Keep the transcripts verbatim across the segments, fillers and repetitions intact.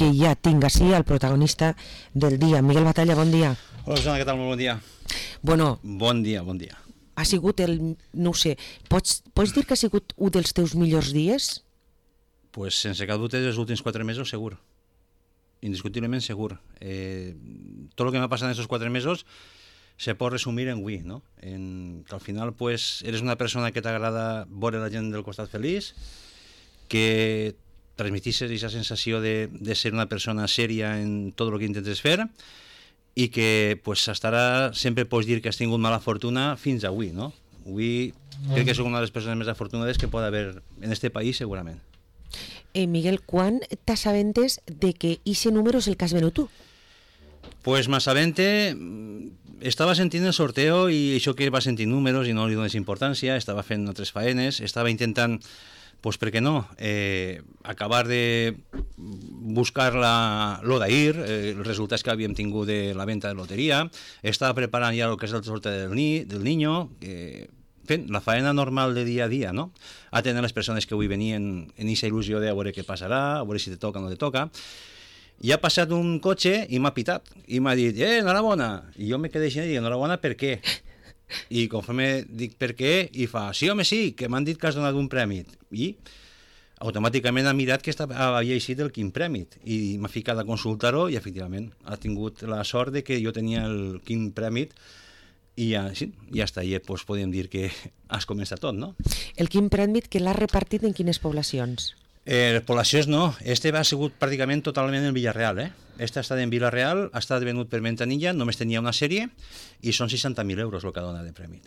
que ja tinc així el protagonista del dia. Miguel Batalla, bon dia. Hola, Susana, què tal? Molt bon dia. Bueno, Bon dia, bon dia. ha sigut el... no ho sé, pots, pots dir que ha sigut un dels teus millors dies? Pues sense cap dubte, els últims quatre mesos, segur. Indiscutiblement segur. Eh, tot el que m'ha passat en aquests quatre mesos se pot resumir en avui, no? En, que al final pues, eres una persona que t'agrada veure la gent del costat feliç, que transmetisses aquesta sensació de, de ser una persona sèria en tot el que intentes fer i que pues, estarà, sempre pots dir que has tingut mala fortuna fins avui, no? Avui crec que soc una de les persones més afortunades que pot haver en este país, segurament. Eh, Miguel, quan t'assabentes de que ese número és el que has venut tu? Pues m'assabente, estava sentint el sorteo i això que va sentir números i no li dones importància, estava fent altres faenes, estava intentant, pues per què no, eh, acabar de buscar la, lo d'ahir, eh, els resultats que havíem tingut de la venda de loteria, estava preparant ja el que és el sorteo del, ni, del niño, eh, fent la faena normal de dia a dia, no? Atendre les persones que avui venien en aquesta il·lusió de a veure què passarà, a veure si te toca o no te toca. I ha passat un cotxe i m'ha pitat i m'ha dit, eh, enhorabona, i jo me quedé així i dic, enhorabona, per què? I conforme dic per què, i fa, sí home sí, que m'han dit que has donat un premi, i automàticament ha mirat que estava, havia eixit el quin premi i m'ha ficat a consultar-ho i efectivament ha tingut la sort de que jo tenia el quin premi i ja, sí, ja està, i doncs podem dir que has començat tot, no? El quin premi que l'has repartit en quines poblacions? Eh, les poblacions no, este ha sigut pràcticament totalment en Villarreal, eh? Este ha estat en Villarreal, ha estat venut per Ventanilla, només tenia una sèrie i són seixanta mil euros el que dona de premi.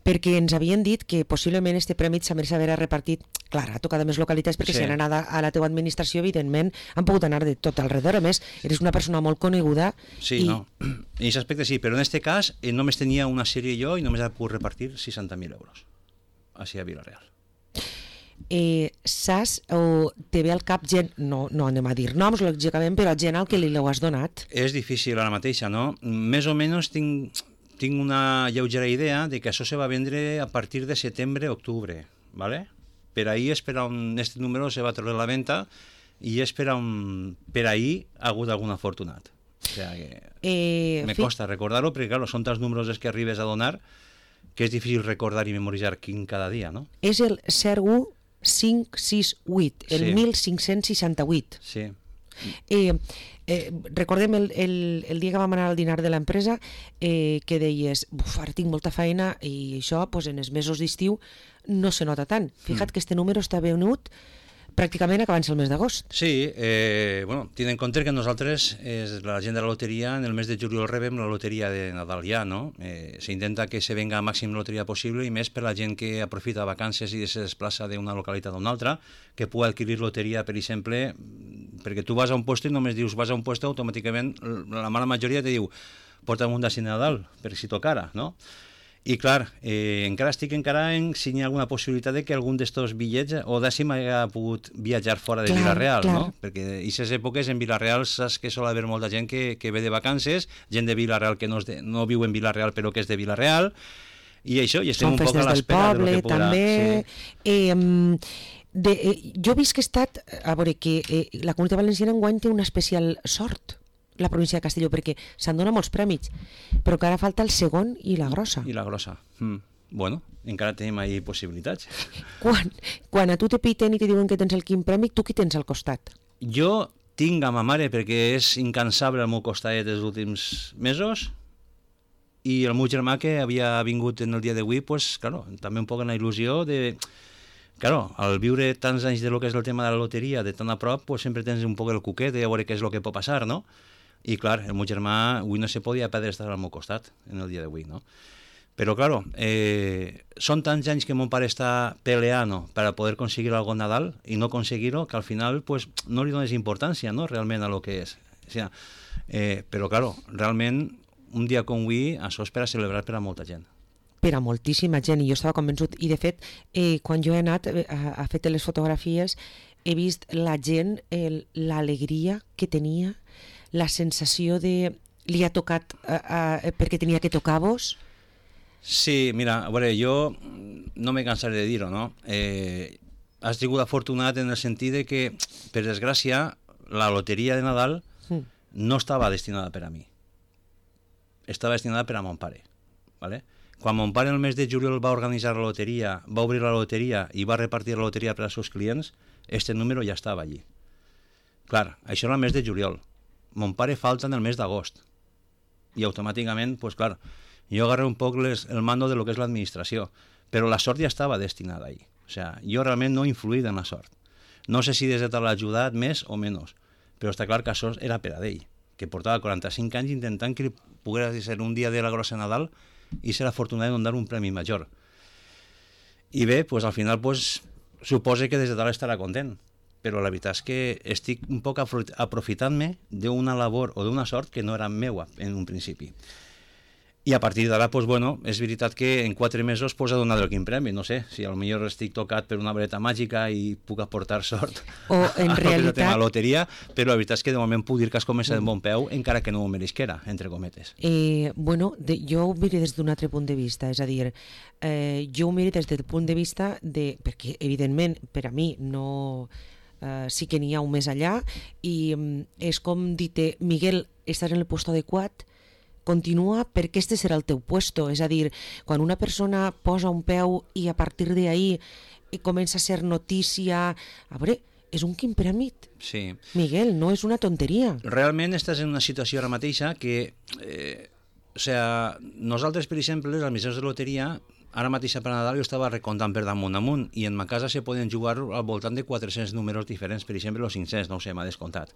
Perquè ens havien dit que possiblement este premi s'hauria d'haver repartit, clar, ha tocat més localitats perquè Sí. si han anat a la teva administració, evidentment, han pogut anar de tot alrededor. A més, eres una persona molt coneguda. Sí, i... no, en aquest aspecte sí, però en este cas eh, només tenia una sèrie jo i només ha pogut repartir seixanta mil euros així a Villarreal. Eh, saps o te ve al cap gent, no, no anem a dir noms lògicament, però gent al que li l'heu has donat? És difícil ara mateixa, no? Més o menys tinc, tinc una lleugera idea de que això se va vendre a partir de setembre-octubre, ¿vale? Per ahí és per on este número se va treure la venda i és per on per ahí ha hagut algun afortunat. O sea que Eh, me fi- costa recordar-ho perquè, claro, són tants números els que arribes a donar que és difícil recordar i memoritzar quin cada dia, no? És el zero u cinc sis vuit, el Sí. mil cinc-cents seixanta-vuit. Sí. Eh, eh, recordem el, el, el dia que vam anar al dinar de l'empresa eh, que deies, buf, ara tinc molta feina i això pues, en els mesos d'estiu no se nota tant. Fija't mm. que este número està venut pràcticament acabant-se el mes d'agost. Sí, eh, bueno, tenint en compte que nosaltres, és la gent de la loteria, en el mes de juliol rebem la loteria de Nadal ja, no? Eh, s'intenta que se venga a màxim loteria possible i més per la gent que aprofita vacances i se desplaça d'una localitat a una altra, que pugui adquirir loteria, per exemple, perquè tu vas a un puesto i només dius vas a un puesto, automàticament la mala majoria te diu porta'm un d'ací Nadal, per si tocara, no? I clar, eh, encara estic encara en si hi ha alguna possibilitat de que algun d'estos bitllets o d'ací m'hagués pogut viatjar fora de Clar, Villarreal, clar. no? Perquè en aquestes èpoques en Villarreal saps que sol haver molta gent que, que ve de vacances, gent de Villarreal que no, és de, no viu en Villarreal però que és de Villarreal, i això, i estem Són un poc festes a del l'espera de lo poble, que podrà... també. Sí. Eh, de, eh, jo he vist que he estat, a veure, que eh, la Comunitat Valenciana enguany té una especial sort, la província de Castelló, perquè se'n dona molts prèmits, però que ara falta el segon i la grossa. I la grossa. Mm. Bueno, encara tenim ahí possibilitats. Quan, quan a tu te piten i te diuen que tens el quin premi, tu qui tens al costat? Jo tinc a ma mare perquè és incansable al meu costat dels últims mesos i el meu germà que havia vingut en el dia d'avui, pues, claro, també un poc en la il·lusió de... Claro, al viure tants anys de lo que és el tema de la loteria de tan a prop, pues sempre tens un poc el cuquet de veure què és el que pot passar, no? I clar, el meu germà avui no se podia perdre estar al meu costat en el dia d'avui, no? Però, claro, eh, són tants anys que mon pare està peleant per a poder aconseguir algo en Nadal i no aconseguir-ho, que al final pues, no li dones importància, no?, realment a lo que és. O sea, eh, però, claro, realment, un dia com avui, això és per a celebrar per a molta gent. Per a moltíssima gent, i jo estava convençut. I, de fet, eh, quan jo he anat a, a fer les fotografies, he vist la gent, el, l'alegria que tenia, la sensació de... Li ha tocat a, a, perquè tenia que tocar-vos... Sí, mira, a veure, jo no me cansaré de dir-ho, no? Eh, has sigut afortunat en el sentit de que, per desgràcia, la loteria de Nadal no estava destinada per a mi. Estava destinada per a mon pare. ¿Vale? Quan mon pare el mes de juliol va organitzar la loteria, va obrir la loteria i va repartir la loteria per als seus clients, este número ja estava allí. Clar, això era el mes de juliol. Mon pare falta en el mes d'agost. I automàticament, pues clar, jo agarré un poc les, el mando de lo que és l'administració, però la sort ja estava destinada allí. O sea, jo realment no he influït en la sort. No sé si des de tal l'ha ajudat més o menys, però està clar que això era per a d'ell, que portava quaranta-cinc anys intentant que pogués ser un dia de la grossa Nadal i ser afortunat de donar un premi major. I bé, pues, al final pues, suposa que des de tal estarà content, però la veritat és que estic un poc aprofitant-me d'una labor o d'una sort que no era meua en un principi. I a partir d'ara, pues, bueno, és veritat que en quatre mesos pues, ha donat el quin premi, no sé, si potser estic tocat per una vareta màgica i puc aportar sort o en a realitat... la loteria, però la veritat és que de moment puc dir que has començat en bon peu, encara que no ho mereixquera, entre cometes. Eh, bueno, de, jo ho miro des d'un altre punt de vista, és a dir, eh, jo ho miro des del punt de vista de... perquè, evidentment, per a mi no... Uh, sí que n'hi ha un més allà i um, és com dir-te, Miguel, estàs en el lloc adequat, continua perquè este serà el teu puesto. És a dir, quan una persona posa un peu i a partir d'ahí comença a ser notícia, a veure, és un quin prèmit. Sí. Miguel, no és una tonteria. Realment estàs en una situació ara mateixa que, eh, o sea, nosaltres, per exemple, les administracions de loteria, ara mateix per Nadal jo estava recomptant per damunt amunt i en ma casa se poden jugar al voltant de quatre-cents números diferents, per exemple, els cinc-cents, no ho sé, m'ha descomptat.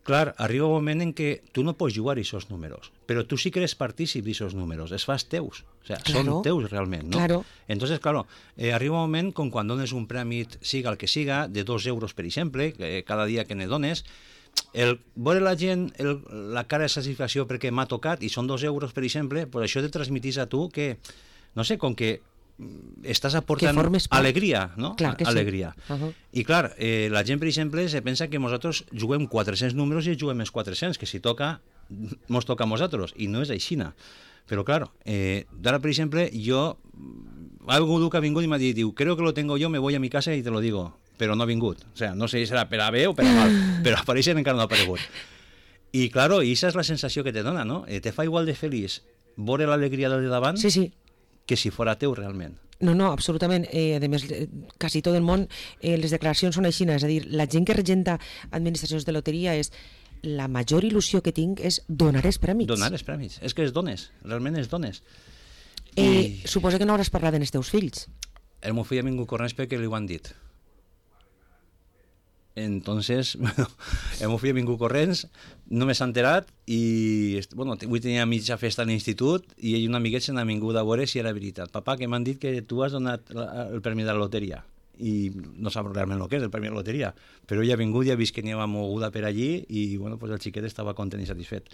Clar, arriba un moment en què tu no pots jugar aquests números, però tu sí que eres partícip d'aquests números, es fas teus, o sea, claro, són teus realment, no? Claro. Entonces, claro, eh, arriba un moment com quan dones un premi, siga el que siga, de dos euros, per exemple, eh, cada dia que ne dones, el veure la gent, el, la cara de satisfacció perquè m'ha tocat i són dos euros, per exemple, pues això te transmitís a tu que, no sé, com que estàs aportant alegria, no? Clar que alegria. Sí. Uh-huh. I clar, eh, la gent, per exemple, se pensa que nosaltres juguem quatre-cents números i juguem els quatre-cents, que si toca, mos toca a nosaltres, i no és aixina. Però clar, eh, d'ara, per exemple, jo, algú que ha vingut i m'ha dit, diu, creo que lo tengo yo, me voy a mi casa y te lo digo, però no ha vingut. O sea, no sé si serà per a bé o per a mal, però aparèixer encara no ha aparegut. I claro, i aquesta és la sensació que te dona, no? Eh, te fa igual de feliç veure l'alegria del de davant, sí, sí, que si fora teu realment. No, no, absolutament. Eh, a més, eh, quasi tot el món, eh, les declaracions són així, és a dir, la gent que regenta administracions de loteria és la major il·lusió que tinc és donar els prèmits. Donar els prèmits. És que els dones, realment els dones. Eh, I... Suposo que no hauràs parlat amb els teus fills. El meu fill ha vingut corrents perquè li ho han dit. Entonces, bueno, el meu fill ha vingut corrents, no m'he enterat i, bueno, avui tenia mitja festa a l'institut i ell i un amiguet se n'ha vingut a veure si era veritat. Papà, que m'han dit que tu has donat la, el premi de la loteria i no sap realment el que és el premi de la loteria, però ell ha vingut i ha vist que n'hi havia moguda per allí i, bueno, pues el xiquet estava content i satisfet.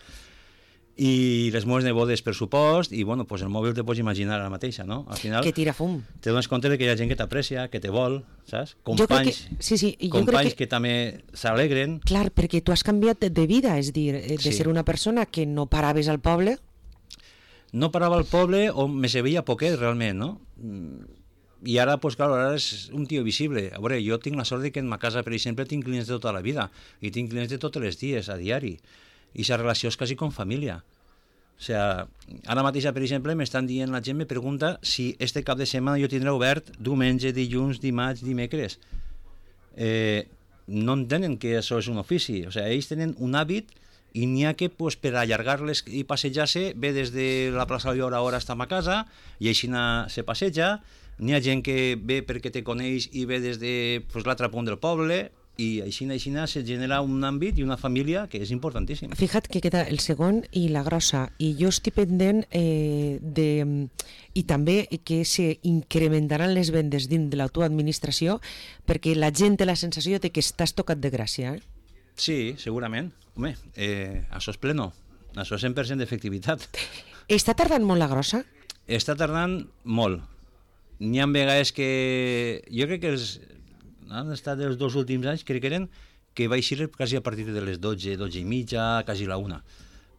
I les meves nebodes, per supost, i bueno, pues el mòbil te pots imaginar ara mateixa, no? Al final, que tira fum. Te dones compte de que hi ha gent que t'aprecia, que te vol, saps? Companys, que, sí, sí, companys que, que també s'alegren. Clar, perquè tu has canviat de vida, és dir, de sí. ser una persona que no paraves al poble. No parava al poble o me se veia poquet, realment, no? I ara, pues, clar, ara és un tio visible. A veure, jo tinc la sort de que en ma casa, per exemple, tinc clients de tota la vida i tinc clients de tots els dies, a diari. I aquesta relació és quasi com família. O sea, ara mateix, per exemple, m'estan dient, la gent me pregunta si este cap de setmana jo tindré obert diumenge, dilluns, dimarts, dimecres. Eh, no entenen que això és un ofici. O sea, ells tenen un hàbit i n'hi ha que, pues, per allargar-les i passejar-se, ve des de la plaça de l'Hora hora hasta ma casa i així se passeja. N'hi ha gent que ve perquè te coneix i ve des de, pues, l'altre punt del poble, i així, així se genera un àmbit i una família que és importantíssim. Fija't que queda el segon i la grossa, i jo estic pendent eh, de... i també que se incrementaran les vendes dins de la tua administració perquè la gent té la sensació de que estàs tocat de gràcia. Eh? Sí, segurament. Home, eh, això és pleno. Això és cent per cent d'efectivitat. Està tardant molt la grossa? Està tardant molt. N'hi ha vegades que... Jo crec que els... han estat els dos últims anys, crec que eren, que va eixir quasi a partir de les dotze, dotze i mitja, quasi la una.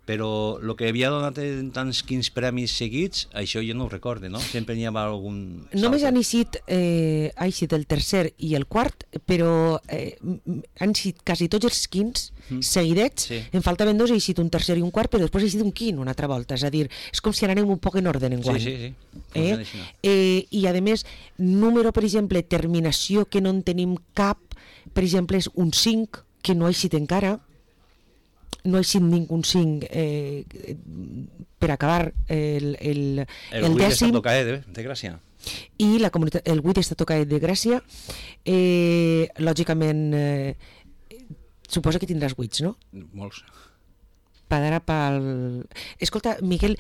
però el que havia donat en tants quins premis seguits, això jo no ho recorde, no? Sempre n'hi havia algun... Només han eixit, eh, ha eixit el tercer i el quart, però eh, han eixit quasi tots els quins mm. seguidets, sí. En faltaven dos, ha eixit un tercer i un quart, però després ha eixit un quin una altra volta, és a dir, és com si anem un poc en ordre en guany. Sí, sí, sí. Eh? Eh, I a més, número, per exemple, terminació que no en tenim cap, per exemple, és un cinc, que no ha eixit encara, no ha eixit ningú cinc eh, per acabar el, el, el, el dècim. El vuit de, de Gràcia. I la comunitat, el vuit està tocat de Gràcia. Eh, lògicament, eh, suposa que tindràs vuits, no? Molts. Padarà pel... Escolta, Miguel,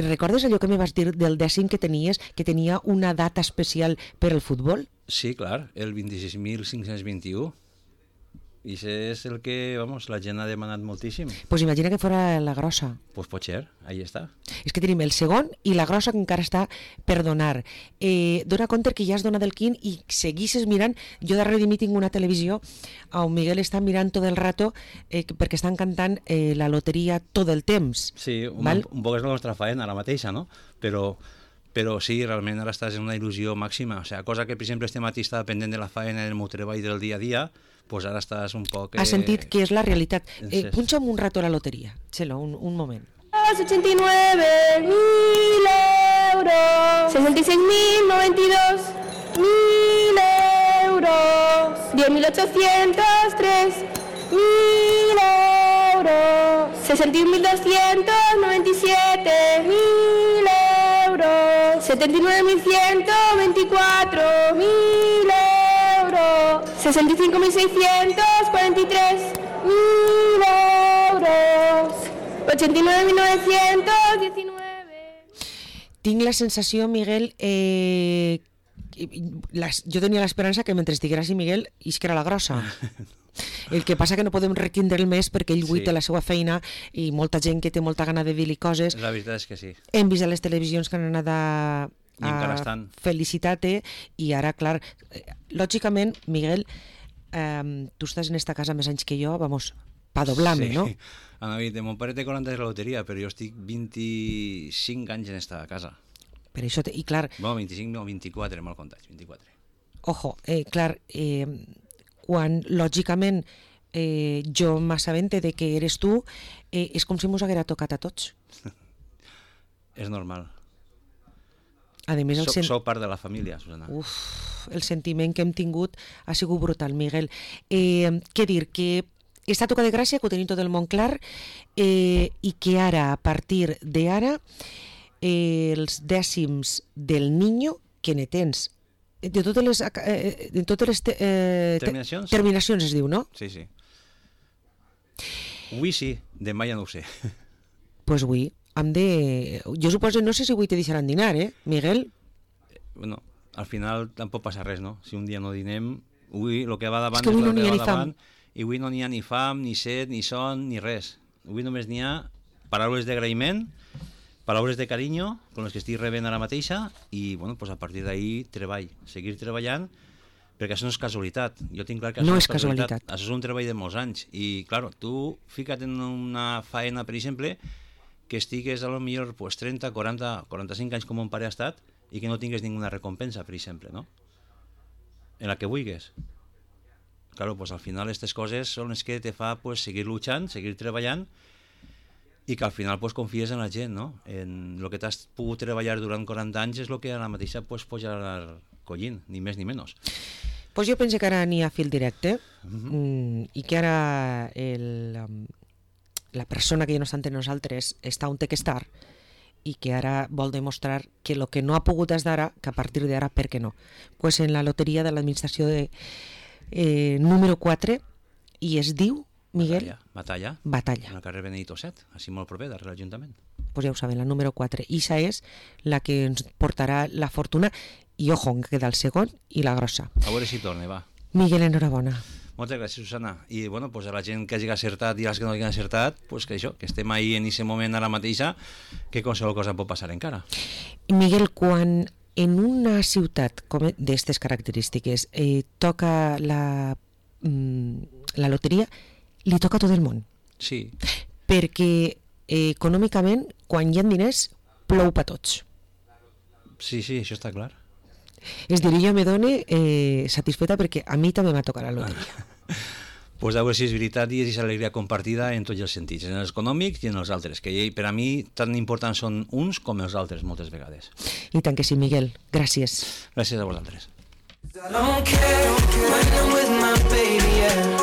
recordes allò que me vas dir del dècim que tenies, que tenia una data especial per al futbol? Sí, clar, el vint-i-sis mil cinc-cents vint-i-u. I això és el que, vamos, la gent ha demanat moltíssim. Pues imagina que fora la grossa. Pues pot ser, ahí està. És que tenim el segon i la grossa que encara està per donar. Eh, dona compte que ja has donat el quin i seguisses mirant. Jo darrere de mi tinc una televisió on Miguel està mirant tot el rato eh, perquè estan cantant eh, la loteria tot el temps. Sí, un, un poc és la nostra faena ara mateixa, no? Però... però sí, realment ara estàs en una il·lusió màxima, o sigui, cosa que per exemple este matí estava pendent de la faena del meu treball del dia a dia, pues ara estàs un poc... Eh... Has sentit que és la realitat. Eh, punxa'm un rato la loteria, Txelo, un, un moment. ochenta y nueve mil euros, sesenta y seis mil noventa y dos mil euros, diez mil ochocientos tres mil euros, sesenta y un mil doscientos noventa y siete mil euros, setenta y nueve mil ciento veinticuatro mil euros, sesenta y cinco mil seiscientos cuarenta y tres mil euros, ochenta y nueve mil novecientos diecinueve. Tinc la sensació, Miguel, eh, las, jo tenia l'esperança que mentre estigueras i Miguel isquera la grossa. El que passa que no podem retindre el més perquè ell avui sí. té la seva feina i molta gent que té molta gana de dir-li coses. La veritat és que sí. Hem vist a les televisions que han anat a, a felicitar-te i ara, clar, lògicament, Miguel, eh, tu estàs en esta casa més anys que jo, vamos, pa doblar-me, sí. no? Ana, mon pare té quaranta anys de la loteria, però jo estic vint-i-cinc anys en esta casa. Per això, te, i clar... Bueno, vint-i-cinc, no, vint-i-quatre, mal comptats, vint-i-quatre. Ojo, eh, clar, eh, quan lògicament eh, jo m'assabente de que eres tu, eh, és com si mos haguera tocat a tots. És normal. A més, el soc, sen... soc part de la família, Susana. Uf, el sentiment que hem tingut ha sigut brutal, Miguel. Eh, què dir, que està tocat de gràcia, que ho tenim tot el món clar, eh, i que ara, a partir d'ara, eh, els dècims del Niño, que ne tens de totes les, eh, de totes les te, eh, terminacions? Te, terminacions es diu, no? Sí, sí. Avui sí, demà ja no ho sé. Pues avui hem de... Jo suposo, no sé si avui te deixaran dinar, eh, Miguel? Bueno, al final tampoc passa res, no? Si un dia no dinem, avui el que va davant és que avui és no n'hi ha va ni davant, fam. I avui no n'hi ha ni fam, ni set, ni son, ni res. Avui només n'hi ha paraules d'agraïment, paraules de carinyo, com les que estic rebent ara mateixa, i bueno, pues a partir d'ahí treball, seguir treballant, perquè això no és casualitat. Jo tinc clar que això no no és casualitat. casualitat. Això és un treball de molts anys. I, clar, tu fica't en una faena, per exemple, que estigues a lo millor pues, trenta, quaranta, quaranta-cinc anys com un pare ha estat i que no tingues ninguna recompensa, per exemple, no? En la que vulguis. Claro, pues al final aquestes coses són les que te fa pues, seguir luchant, seguir treballant i que al final pues, confies en la gent, no? En el que t'has pogut treballar durant quaranta anys és el que a la mateixa pues, pots anar collint, ni més ni menys. Pues jo penso que ara n'hi ha fil directe uh-huh. mm, i que ara el, um, la persona que ja no està entre nosaltres està on té que estar i que ara vol demostrar que el que no ha pogut és d'ara, que a partir d'ara, per què no? Pues en la loteria de l'administració de eh, número quatre i es diu, Miguel? Batalla. Batalla. En el carrer Benedito set, així molt proper, darrere l'Ajuntament. Pues ja ho saben, la número quatre. I esa és la que ens portarà la fortuna i, ojo, que queda el segon i la grossa. A veure si torna, va. Miguel, enhorabona. Moltes gràcies, Susana. I bueno, pues a la gent que hagi acertat i als que no hagin acertat, pues que això, que estem ahí en aquest moment ara mateixa, que qualsevol cosa pot passar encara. Miguel, quan en una ciutat d'aquestes característiques eh, toca la, mm, la loteria, li toca a tot el món. Sí. Perquè eh, econòmicament, quan hi ha diners, plou per tots. Sí, sí, això està clar. És dir, jo me done eh, satisfeta perquè a mi també m'ha tocat la loteria. Pues a veure si és veritat i és alegria compartida en tots els sentits, en els econòmics i en els altres, que per a mi tan importants són uns com els altres moltes vegades. I tant que sí, Miguel. Gràcies. Gràcies a vosaltres. I don't care when I'm with my baby, yeah.